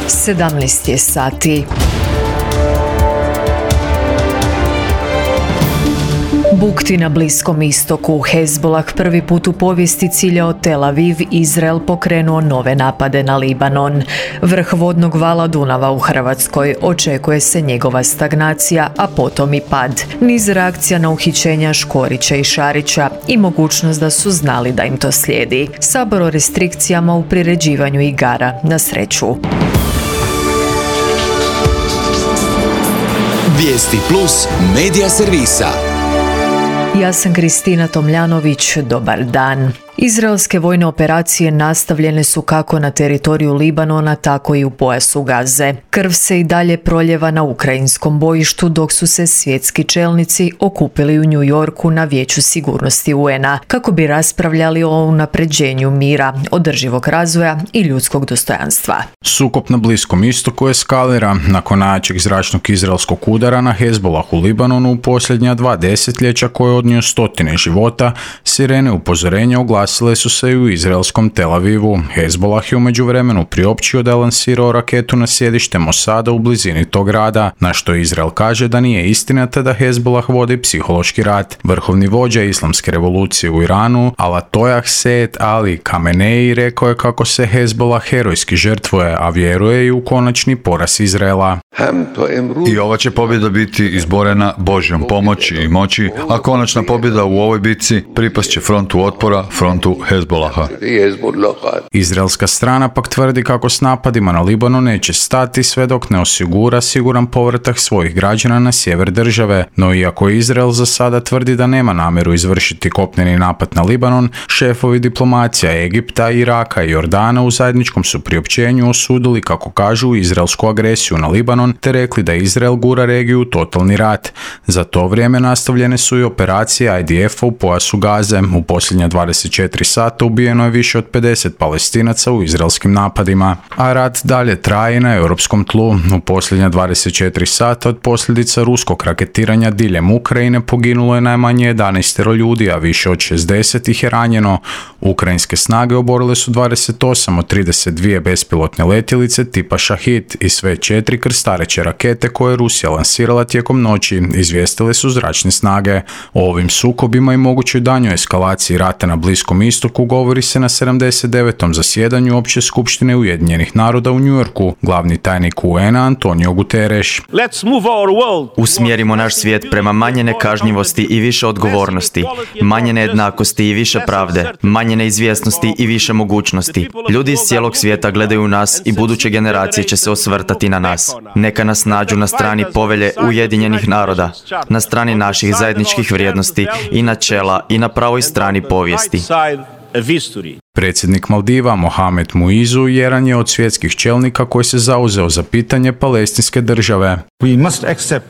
17 je sati. Bukti na Bliskom istoku. Hezbolah prvi put u povijesti ciljao Tel Aviv, Izrael pokrenuo nove napade na Libanon. Vrh vodnog vala Dunava u Hrvatskoj. Očekuje se njegova stagnacija, a potom i pad. Niz reakcija na uhićenja Škorića i Šarića i mogućnost da su znali da im to slijedi. Sabor o restrikcijama u priređivanju igara na sreću. Vijesti Plus medija servisa. Ja sam Kristina Tomljanović, dobar dan. Izraelske vojne operacije nastavljene su kako na teritoriju Libanona, tako i u pojasu Gaze. Krv se i dalje proljeva na ukrajinskom bojištu, dok su se svjetski čelnici okupili u New Yorku na Vijeću sigurnosti UN-a kako bi raspravljali o unapređenju mira, održivog razvoja i ljudskog dostojanstva. Sukob na Bliskom istoku eskalira nakon najjačeg zračnog izraelskog udara na Hezbolah u Libanonu u posljednja 2 desetljeća koje je odnio stotine života. Sirene upozorenja oglasile su se i u izraelskom Tel Avivu. Hezbolah je u međuvremenu priopćio da je lansirao raketu na sjedište Mosada u blizini tog grada, na što Izrael kaže da nije istina te da Hezbolah vodi psihološki rat. Vrhovni vođa islamske revolucije u Iranu, Ayatollah Said Ali Khamenei, rekao je kako se Hezbolah herojski žrtvuje, a vjeruje i u konačni poraz Izraela. I ova će pobjeda biti izborena Božjom pomoći i moći, a konačna pobjeda u ovoj bitci pripast će frontu otpora, frontu Hezbolaha. Izraelska strana pak tvrdi kako s napadima na Libanon neće stati sve dok ne osigura siguran povratak svojih građana na sjever države, no iako Izrael za sada tvrdi da nema namjeru izvršiti kopneni napad na Libanon, šefovi diplomacija Egipta, Iraka i Jordana u zajedničkom su priopćenju osudili, kako kažu, izraelsku agresiju na Libanon te rekli da Izrael gura regiju u totalni rat. Za to vrijeme nastavljene su i operacije IDF-a u pojasu Gaze. U posljednja 24 sata ubijeno je više od 50 Palestinaca u izraelskim napadima, a rat dalje traje na europskom tlu. U posljednja 24 sata od posljedica ruskog raketiranja diljem Ukrajine poginulo je najmanje 11 ljudi, a više od 60 ih je ranjeno. Ukrajinske snage oborile su 28 od 32 bespilotne letjelice tipa Šahid i sve 4 krstareće rakete koje je Rusija lansirala tijekom noći, izvijestile su zračne snage. O ovim sukobima i mogućoj daljnjoj eskalaciji rata na Bliskom istoku govori se na 79. zasjedanju Opće skupštine Ujedinjenih naroda u New Yorku. Glavni tajnik UN-a Antonio Guterres. Usmjerimo naš svijet prema manje nekažnjivosti i više odgovornosti, manje nejednakosti i više pravde, manje neizvjesnosti i više mogućnosti. Ljudi iz cijelog svijeta gledaju nas i buduće generacije će se osvrtati na nas. Neka nas nađu na strani povelje Ujedinjenih naroda, na strani naših zajedničkih vrijednosti i načela i na pravoj strani povijesti. Predsjednik Maldiva Mohamed Muizu jedan je od svjetskih čelnika koji se zauzeo za pitanje palestinske države.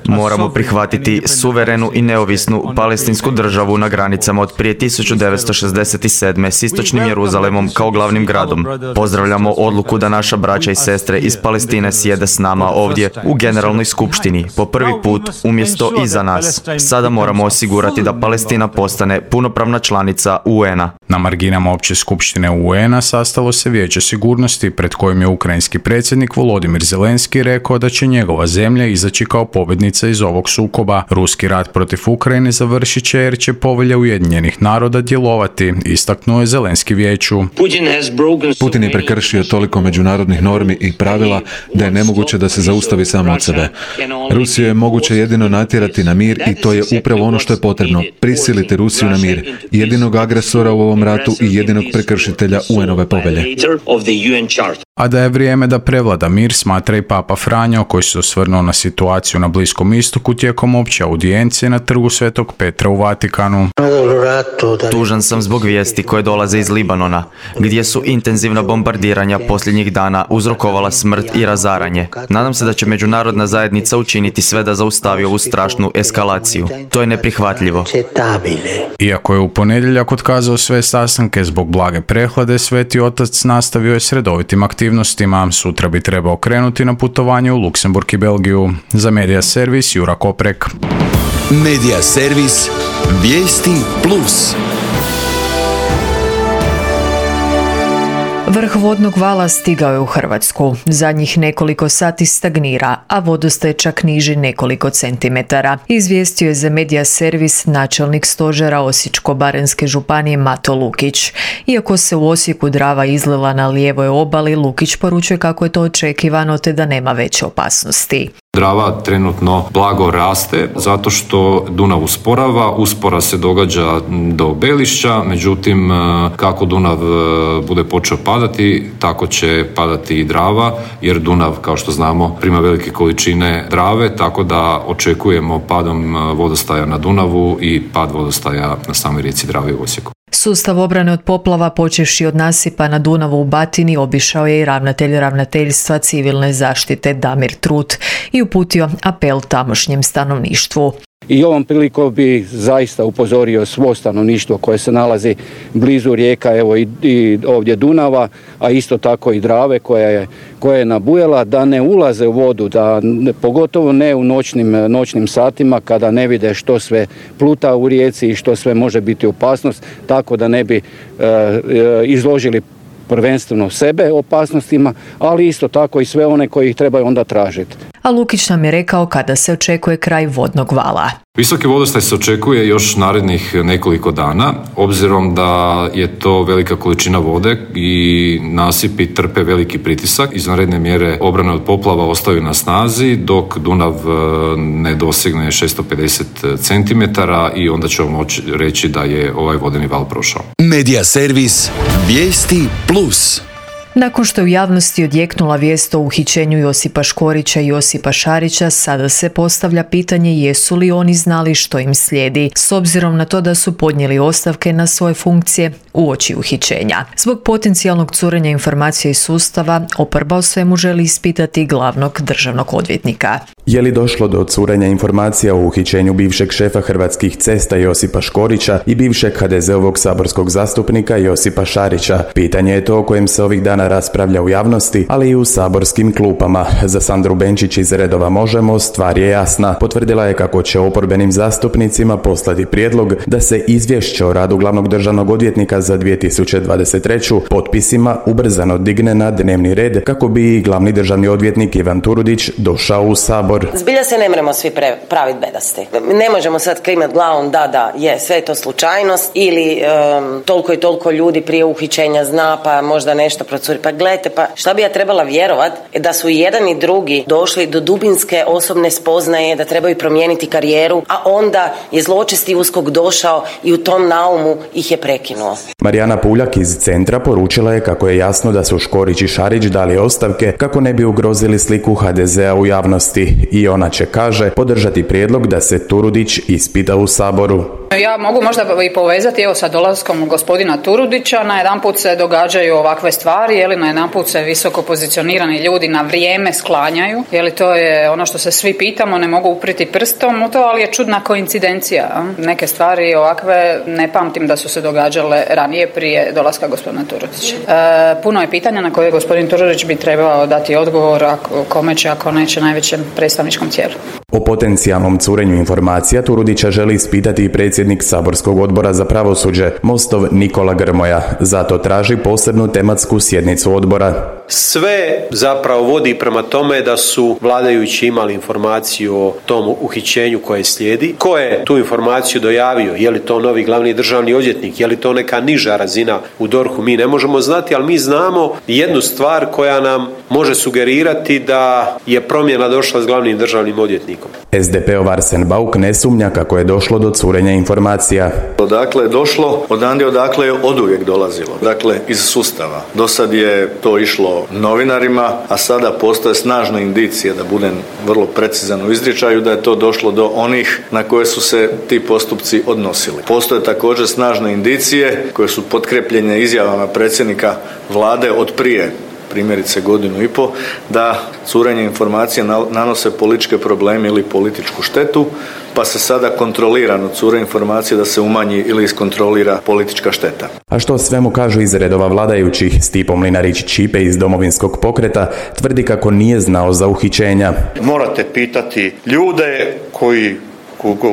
Moramo prihvatiti suverenu i neovisnu palestinsku državu na granicama od prije 1967. s istočnim Jeruzalemom kao glavnim gradom. Pozdravljamo odluku da naša braća i sestre iz Palestine sjede s nama ovdje u Generalnoj skupštini po prvi put umjesto iza nas. Sada moramo osigurati da Palestina postane punopravna članica UN-a. Na marginama Opće skupštine UN-a sastalo se Vijeće sigurnosti pred kojim je ukrajinski predsjednik Volodimir Zelenski rekao da će njegova zemlja izaći kao pobjednica iz ovog sukoba. Ruski rat protiv Ukrajine završit će jer će povelja Ujedinjenih naroda djelovati, istaknuo je Zelenski vijeću. Putin je prekršio toliko međunarodnih normi i pravila da je nemoguće da se zaustavi samo od sebe. Rusiju je moguće jedino natjerati na mir i to je upravo ono što je potrebno. Prisiliti Rusiju na mir, jedinog agresora u ovom ratu i jedinog prekršitelja UN-ove povelje. A da je vrijeme da prevlada mir, smatra i Papa Franjo, koji se osvrnuo na situaciju na Bliskom istoku tijekom opće audijencije na trgu Svetog Petra u Vatikanu. Tužan sam zbog vijesti koje dolaze iz Libanona, gdje su intenzivna bombardiranja posljednjih dana uzrokovala smrt i razaranje. Nadam se da će međunarodna zajednica učiniti sve da zaustavi ovu strašnu eskalaciju. To je neprihvatljivo. Iako je u ponedjeljak otkazao sve sastanke zbog blage prehlade, Sveti Otac nastavio je s redovitim aktivnostima. Sutra bi trebao krenuti na putovanje u Luksemburg i Belgiju. Za Medija servis Jura Koprek. Medija servis Vijesti Plus. Vrh vodnog vala stigao je u Hrvatsku. Zadnjih nekoliko sati stagnira, a vodostaj čak niži nekoliko centimetara. Izvijestio je za Medija servis načelnik stožera Osječko-baranjske županije Mato Lukić. Iako se u Osijeku Drava izlila na lijevoj obali, Lukić poručuje kako je to očekivano te da nema veće opasnosti. Drava trenutno blago raste zato što Dunav uspora se događa do Belišća, međutim kako Dunav bude počeo padati, tako će padati i Drava, jer Dunav, kao što znamo, prima velike količine Drave, tako da očekujemo padom vodostaja na Dunavu i pad vodostaja na samoj rijeci Dravi u Osijeku. Sustav obrane od poplava, počevši od nasipa na Dunavu u Batini, obišao je i ravnatelj Ravnateljstva civilne zaštite Damir Trut i uputio apel tamošnjem stanovništvu. I ovom prilikom bi zaista upozorio svo stanovništvo koje se nalazi blizu rijeka, evo i ovdje Dunava, a isto tako i Drave koja je nabujala, da ne ulaze u vodu, pogotovo ne u noćnim satima kada ne vide što sve pluta u rijeci i što sve može biti opasnost, tako da ne bi izložili prvenstveno sebe opasnostima, ali isto tako i sve one koji ih trebaju onda tražiti. A Lukić nam je rekao kada se očekuje kraj vodnog vala. Visoki vodostaj se očekuje još narednih nekoliko dana, obzirom da je to velika količina vode i nasipi trpe veliki pritisak. Izvanredne mjere obrane od poplava ostaju na snazi dok Dunav ne dosegne 650 cm i onda ćemo moći reći da je ovaj vodeni val prošao. Medija servis Vijesti Plus. Nakon što je u javnosti odjeknula vijest o uhićenju Josipa Škorića i Josipa Šarića, sada se postavlja pitanje jesu li oni znali što im slijedi, s obzirom na to da su podnijeli ostavke na svoje funkcije uoči uhićenja. Zbog potencijalnog curenja informacija iz sustava, oporba o svemu želi ispitati glavnog državnog odvjetnika. Je li došlo do curenja informacija o uhićenju bivšeg šefa Hrvatskih cesta Josipa Škorića i bivšeg HDZ-ovog saborskog zastupnika Josipa Šarića? Pitanje je to o kojem se ovih dana raspravlja u javnosti, ali i u saborskim klupama. Za Sandru Benčić iz redova Možemo stvar je jasna. Potvrdila je kako će oporbenim zastupnicima poslati prijedlog da se izvješće o radu glavnog državnog odvjetnika za 2023. potpisima ubrzano digne na dnevni red kako bi glavni državni odvjetnik Ivan Turudić došao u Sabor. Zbilja se ne moramo svi praviti bedasti. Ne možemo sad klimat glavom da je sve to slučajnost ili toliko i toliko ljudi prije uhićenja zna pa možda nešto procuri. Pa gledajte, pa šta bi ja trebala vjerovat da su i jedan i drugi došli do dubinske osobne spoznaje da trebaju promijeniti karijeru, a onda je zločesti USKOK došao i u tom naumu ih je prekinuo. Marijana Puljak iz Centra poručila je kako je jasno da su Škorić i Šarić dali ostavke kako ne bi ugrozili sliku HDZ-a u javnosti i ona će, kaže, podržati prijedlog da se Turudić ispita u Saboru. Ja mogu možda i povezati sa dolaskom gospodina Turudića, najedanput se događaju ovakve stvari, najedanput se visoko pozicionirani ljudi na vrijeme sklanjaju, to je ono što se svi pitamo, ne mogu upriti prstom u to, ali je čudna koincidencija. Neke stvari ovakve ne pamtim da su se događale ranije prije dolaska gospodina Turudića. Puno je pitanja na koje gospodin Turudić bi trebao dati odgovor, kome će, ako neće, najvećem predstavničkom tijelu. O potencijalnom curenju informacija Turudića želi ispitati i predsjednik saborskog odbora za pravosuđe, Mostov Nikola Grmoja. Zato traži posebnu tematsku sjednicu odbora. Sve zapravo vodi prema tome da su vladajući imali informaciju o tom uhićenju koje slijedi. Ko je tu informaciju dojavio? Je li to novi glavni državni odvjetnik? Je li to neka niža razina u DORH-u? Mi ne možemo znati, ali mi znamo jednu stvar koja nam može sugerirati da je promjena došla s glavnim državnim odvjetnikom. SDP-ov Arsen Bauk ne sumnja kako je došlo do curenja informacija. Odakle je došlo, odakle je oduvijek dolazilo. Dakle, iz sustava. Do sad je to išlo novinarima, a sada postoje snažne indicije, da budem vrlo precizan u izričaju, da je to došlo do onih na koje su se ti postupci odnosili. Postoje također snažne indicije koje su potkrepljene izjavama predsjednika vlade od prije, primjerice 1.5 godinu, da curenje informacija nanose političke probleme ili političku štetu, pa se sada kontrolirano cure informacije da se umanji ili iskontrolira politička šteta. A što svemu kažu iz redova vladajućih, Stipo Mlinarić-Ćipe iz Domovinskog pokreta tvrdi kako nije znao za uhićenja. Morate pitati ljude koji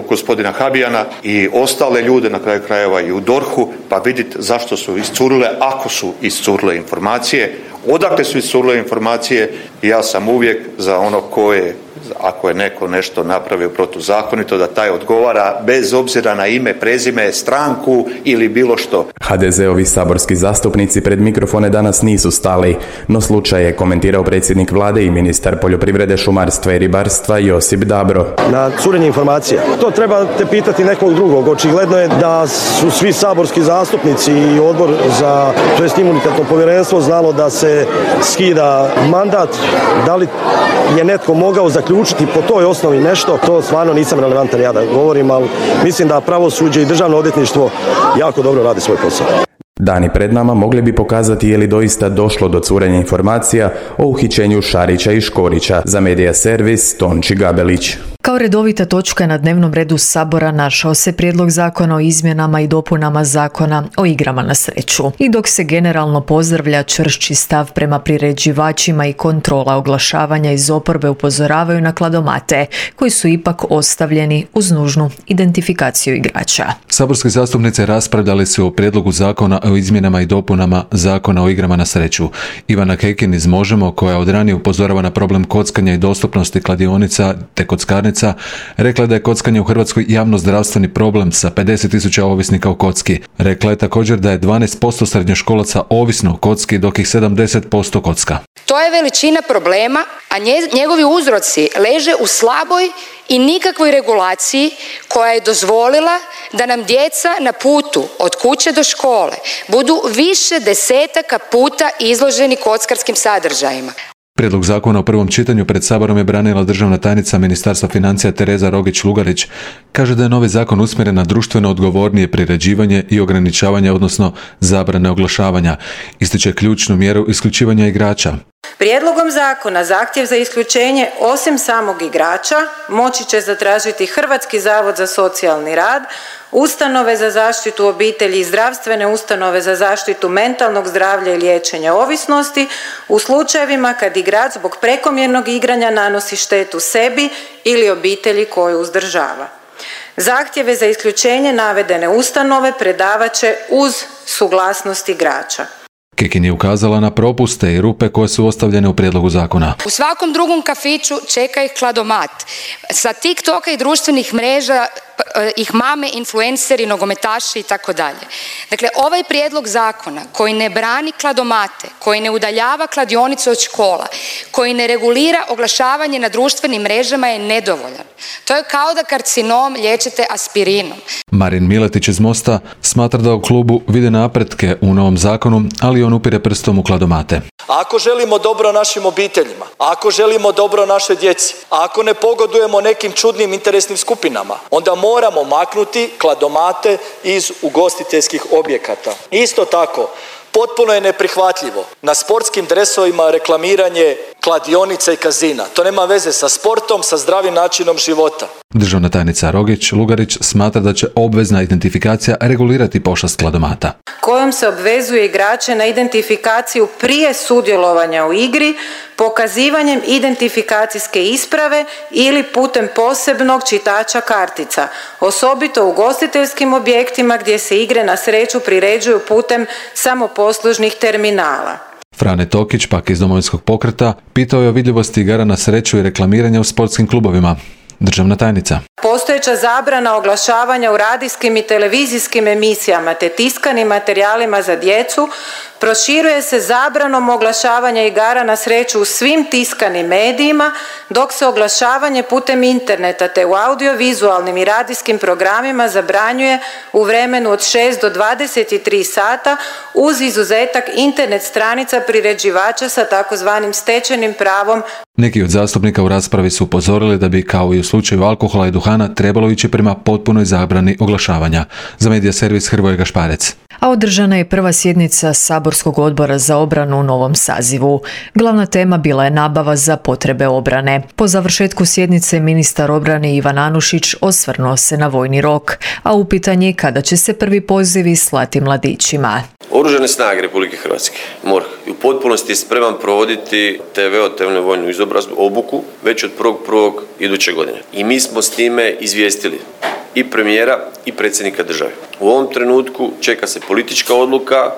gospodina Habijana i ostale ljude, na kraju krajeva i u DORH-u, pa vidjeti zašto su iscurile, ako su iscurile informacije, odakle su iscurile informacije. Ja sam uvijek za ono ako je neko nešto napravio protuzakonito, da taj odgovara bez obzira na ime, prezime, stranku ili bilo što. HDZ-ovi saborski zastupnici pred mikrofone danas nisu stali, no slučaj je komentirao predsjednik vlade i ministar poljoprivrede, šumarstva i ribarstva Josip Dabro. Na curenje informacija. To trebate pitati nekog drugog. Očigledno je da su svi saborski zastupnici i odbor za imunitetno povjerenstvo znalo da se skida mandat. Da li je netko mogao zaključiti po toj osnovi nešto, to stvarno nisam relevantan ja da govorim, ali mislim da pravosuđe i državno odvjetništvo jako dobro radi svoj posao. Dani pred nama mogli bi pokazati je li doista došlo do curenja informacija o uhićenju Šarića i Škorića. Za Medija servis Tonči Gabelić. Kao redovita točka na dnevnom redu Sabora našao se prijedlog zakona o izmjenama i dopunama zakona o igrama na sreću. I dok se generalno pozdravlja čvršći stav prema priređivačima i kontrola oglašavanja iz oporbe upozoravaju na kladomate, koji su ipak ostavljeni uz nužnu identifikaciju igrača. Saborski zastupnice raspravljali su o prijedlogu zakona o izmjenama i dopunama zakona o igrama na sreću. Ivana Kekin iz Možemo, koja od ranije upozorava na problem kockanja i dostupnosti kladionica te kockarnica, rekla da je kockanje u Hrvatskoj javno-zdravstveni problem sa 50.000 ovisnika o kocki. Rekla je također da je 12% srednjoškolaca ovisno o kocki, dok ih 70% kocka. To je veličina problema, a njegovi uzroci leže u slaboj i nikakvoj regulaciji koja je dozvolila da nam djeca na putu od kuće do škole budu više desetaka puta izloženi kockarskim sadržajima. Prijedlog zakona u prvom čitanju pred Saborom je branila državna tajnica Ministarstva financija Tereza Rogić-Lugarić. Kaže da je novi zakon usmjeren na društveno odgovornije priređivanje i ograničavanje, odnosno zabrane oglašavanja. Ističe ključnu mjeru isključivanja igrača. Prijedlogom zakona zahtjev za isključenje osim samog igrača moći će zatražiti Hrvatski zavod za socijalni rad, ustanove za zaštitu obitelji i zdravstvene ustanove za zaštitu mentalnog zdravlja i liječenja ovisnosti u slučajevima kad igrač zbog prekomjernog igranja nanosi štetu sebi ili obitelji koju uzdržava. Zahtjeve za isključenje navedene ustanove predavat će uz suglasnost igrača. Kekin je ukazala na propuste i rupe koje su ostavljene u prijedlogu zakona. U svakom drugom kafiću čeka ih kladomat. Sa TikToka i društvenih mreža ih mame, influenceri, nogometaši i tako dalje. Dakle, ovaj prijedlog zakona koji ne brani kladomate, koji ne udaljava kladionice od škola, koji ne regulira oglašavanje na društvenim mrežama je nedovoljan. To je kao da karcinom liječite aspirinom. Marin Miletić iz Mosta smatra da u klubu vide napretke u novom zakonu, ali on upire prstom u kladomate. Ako želimo dobro našim obiteljima, ako želimo dobro našoj djeci, ako ne pogodujemo nekim čudnim interesnim skupinama, onda moramo maknuti kladomate iz ugostiteljskih objekata. Isto tako, potpuno je neprihvatljivo na sportskim dresovima reklamiranje kladionica i kazina. To nema veze sa sportom, sa zdravim načinom života. Državna tajnica Rogić-Lugarić smatra da će obvezna identifikacija regulirati pošast kladomata. Kojom se obvezuje igrače na identifikaciju prije sudjelovanja u igri, pokazivanjem identifikacijske isprave ili putem posebnog čitača kartica, osobito u ugostiteljskim objektima gdje se igre na sreću priređuju putem samoposlužnih terminala. Frane Tokić, pak iz Domovinskog pokreta, pitao je o vidljivosti igara na sreću i reklamiranja u sportskim klubovima. Državna tajnica. Postojeća zabrana oglašavanja u radijskim i televizijskim emisijama te tiskanim materijalima za djecu proširuje se zabranom oglašavanja igara na sreću u svim tiskanim medijima, dok se oglašavanje putem interneta te u audiovizualnim i radijskim programima zabranjuje u vremenu od 6 do 23 sata uz izuzetak internet stranica priređivača sa takozvanim stečenim pravom. Neki od zastupnika u raspravi su upozorili da bi, kao i u slučaju alkohola i duhana, trebalo ići prema potpunoj zabrani oglašavanja. Za Medija servis Hrvoje Gašparec. A održana je prva sjednica Saborskog odbora za obranu u novom sazivu. Glavna tema bila je nabava za potrebe obrane. Po završetku sjednice ministar obrane Ivan Anušić osvrnuo se na vojni rok, a upitan je kada će se prvi pozivi slati mladićima. Oružane snage Republike Hrvatske, MORH, i u potpunosti je spreman provoditi TVO, temeljnu vojnu izobrazbu, obuku, već od 1.1. iduće godine. I mi smo s time izvijestili i premijera i predsjednika države. U ovom trenutku čeka se politička odluka,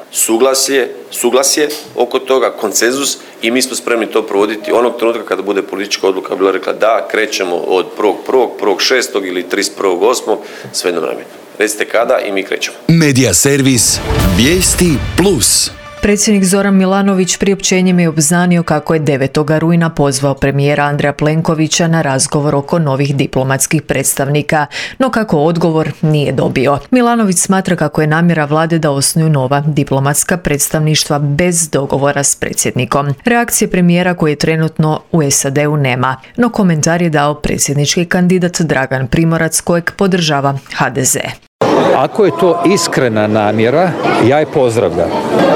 suglasje oko toga, konsenzus, i mi smo spremni to provoditi onog trenutka kada bude politička odluka bila rekla da krećemo od 1.1., 1.6. ili 31.8. sve na vreme. Recite kada i mi krećemo. Medija servis Vijesti Plus. Predsjednik Zoran Milanović priopćenjem je obznanio kako je 9. rujna pozvao premijera Andreja Plenkovića na razgovor oko novih diplomatskih predstavnika, no kako odgovor nije dobio. Milanović smatra kako je namjera vlade da osnuju nova diplomatska predstavništva bez dogovora s predsjednikom. Reakcije premijera koji je trenutno u SAD-u nema, no komentar je dao predsjednički kandidat Dragan Primorac kojeg podržava HDZ. Ako je to iskrena namjera, ja je pozdravljam,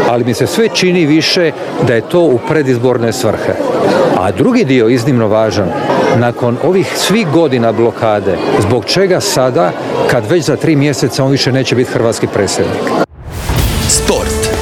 ali mi se sve čini više da je to u predizborne svrhe. A drugi dio, iznimno važan, nakon ovih svih godina blokade, zbog čega sada, kad već za 3 mjeseca on više neće biti hrvatski predsjednik? Sport.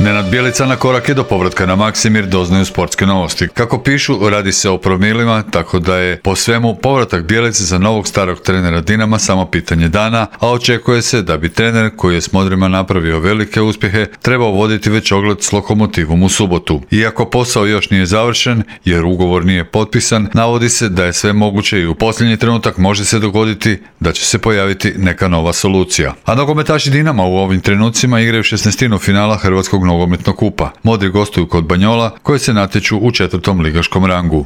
Nenad Bjelica na korak je do povratka na Maksimir, doznaju sportske novosti. Kako pišu, radi se o promilima, tako da je po svemu povratak Bjelice za novog starog trenera Dinama samo pitanje dana, a očekuje se da bi trener koji je s Modrima napravio velike uspjehe trebao voditi već ogled s Lokomotivom u subotu. Iako posao još nije završen, jer ugovor nije potpisan, navodi se da je sve moguće i u posljednji trenutak može se dogoditi da će se pojaviti neka nova solucija. A nogometaši Dinama u ovim trenucima igraju 16. finala Hrvatskog nogometnog kupa. Modri gostuju kod Banjola koji se natječu u 4. ligaškom rangu.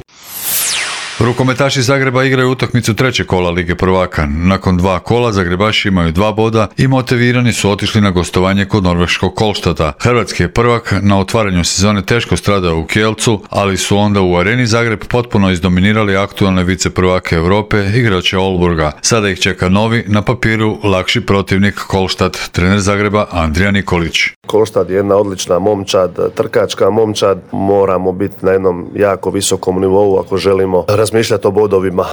Rukometaši Zagreba igraju utakmicu 3. kola Lige prvaka. Nakon 2 kola Zagrebaši imaju 2 boda i motivirani su otišli na gostovanje kod norveškog Kolštata. Hrvatski je prvak na otvaranju sezone teško stradao u Kielcu, ali su onda u Areni Zagreb potpuno izdominirali aktualne viceprvake Europe, igrače Olburga. Sada ih čeka novi, na papiru lakši protivnik Kolštat, trener Zagreba Andrija Nikolić. Kolštad je jedna odlična momčad, trkačka momčad. Moramo biti na jednom jako visokom nivou ako želimo razmišljati o bodovima.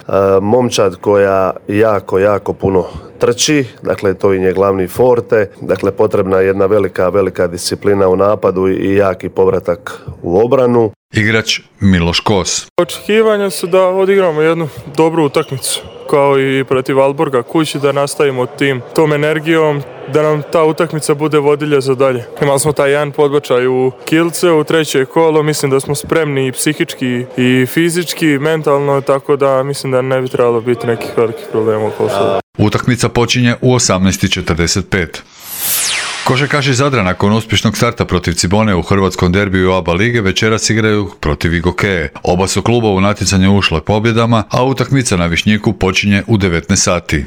Momčad koja jako puno trči, dakle to im je glavni forte, dakle potrebna je jedna velika disciplina u napadu i jaki povratak u obranu. Igrač Miloš Kos. Očekivanja su da odigramo jednu dobru utakmicu, kao i protiv Alborga kući, da nastavimo tom energijom, da nam ta utakmica bude vodilja za dalje. Imali smo taj jedan podbačaj u Kielce, u 3. kolo, mislim da smo spremni i psihički i fizički, mentalno, tako da mislim da ne bi trebalo biti nekih velikih problema oko sada. Utakmica počinje u 18:45. Košarkaši Zadra nakon uspješnog starta protiv Cibone u hrvatskom derbiju ABA lige večeras igraju protiv Igokeje. Oba su kluba u natjecanje ušle pobjedama, a utakmica na Višnjiku počinje u 19 sati.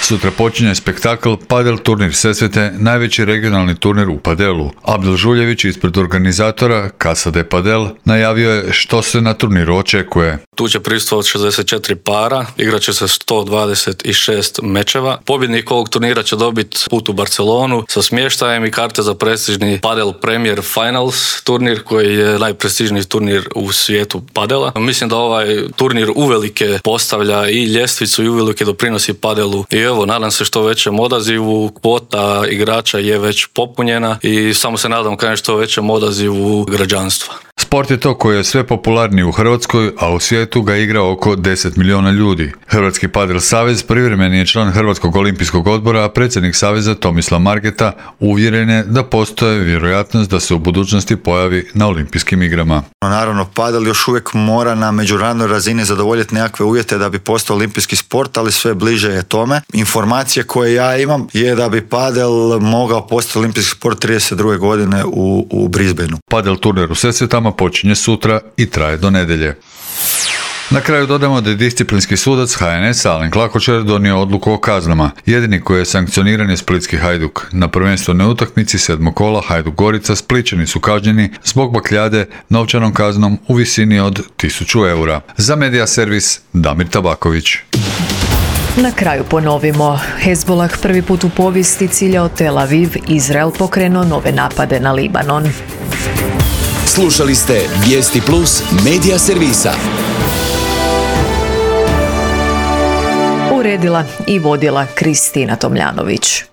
Sutra počinje spektakl Padel turnir Sesvete, najveći regionalni turnir u padelu. Abdel Žuljević ispred organizatora Casa de Padel najavio je što se na turniru očekuje. Tu će prisustvovati 64 para, igrat će se 126 mečeva. Pobjednik ovog turnira će dobiti put u Barcelonu sa smještajem i karte za prestižni Padel Premier Finals turnir koji je najprestižniji turnir u svijetu padela. Mislim da ovaj turnir uvelike postavlja i ljestvicu i uvelike doprinosi padelu. I evo, nadam se što većem odazivu, kvota igrača je već popunjena i samo se nadam kao što većem odazivu građanstva. Sport je to koji je sve popularniji u Hrvatskoj, a u svijetu ga igra oko 10 milijuna ljudi. Hrvatski padel savez privremeni je član Hrvatskog olimpijskog odbora, a predsjednik saveza Tomislav Margeta uvjeren je da postoje vjerojatnost da se u budućnosti pojavi na olimpijskim igrama. Naravno, padel još uvijek mora na međunarodnoj razini zadovoljiti nekakve uvjete da bi postao olimpijski sport, ali sve bliže je tome. Informacije koje ja imam je da bi padel mogao postati olimpijski sport 32. godine u Brisbaneu. Padel turnir u Sesvetama počinje sutra i traje do nedjelje. Na kraju dodamo da je disciplinski sudac HNS Alen Klakočar donio odluku o kaznama. Jedini koji je sankcioniran je splitski Hajduk. Na prvenstvenoj utakmici 7. kola Hajduk Gorica Splićani su kažnjeni zbog bakljade novčanom kaznom u visini od 1000 eura. Za Medija servis Damir Tabaković. Na kraju ponovimo. Hezbollah prvi put u povijesti ciljao Tel Aviv, Izrael pokrenuo nove napade na Libanon. Slušali ste Vijesti Plus Medija servisa. uredila i vodila Kristina Tomljanović.